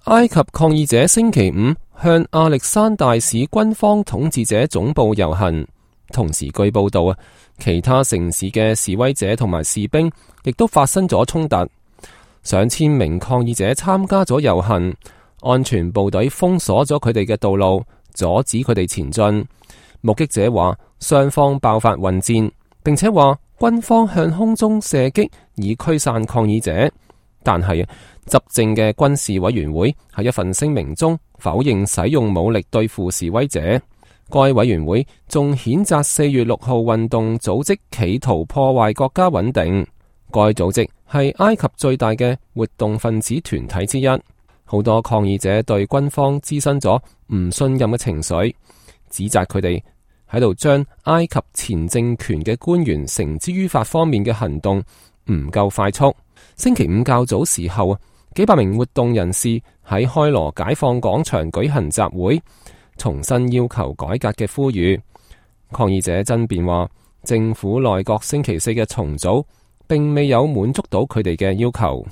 埃及抗議者星期五向亞歷山大市軍方統治者總部遊行，同時據報道其他城市嘅示威者同埋士兵亦都發生咗衝突，上千名抗議者參加咗遊行，安全部隊封鎖咗佢哋嘅道路，阻止佢哋前進。目擊者話雙方爆發混戰，並且話軍方向空中射擊以驅散抗議者，但係執政嘅軍事委員會喺一份聲明中否認使用武力對付示威者。該委員會仲譴責4月6號運動組織企圖破壞國家穩定。該組織係埃及最大嘅活動分子團體之一。好多抗議者對軍方滋生咗唔信任嘅情緒，指責佢哋喺度將埃及前政權嘅官員繩之於法方面嘅行動唔夠快速。星期五較早時候，幾百名活動人士喺開羅解放廣場舉行集會，重新要求改革嘅呼籲。抗議者爭辯話，政府內閣星期四嘅重組並未有滿足到佢哋嘅要求。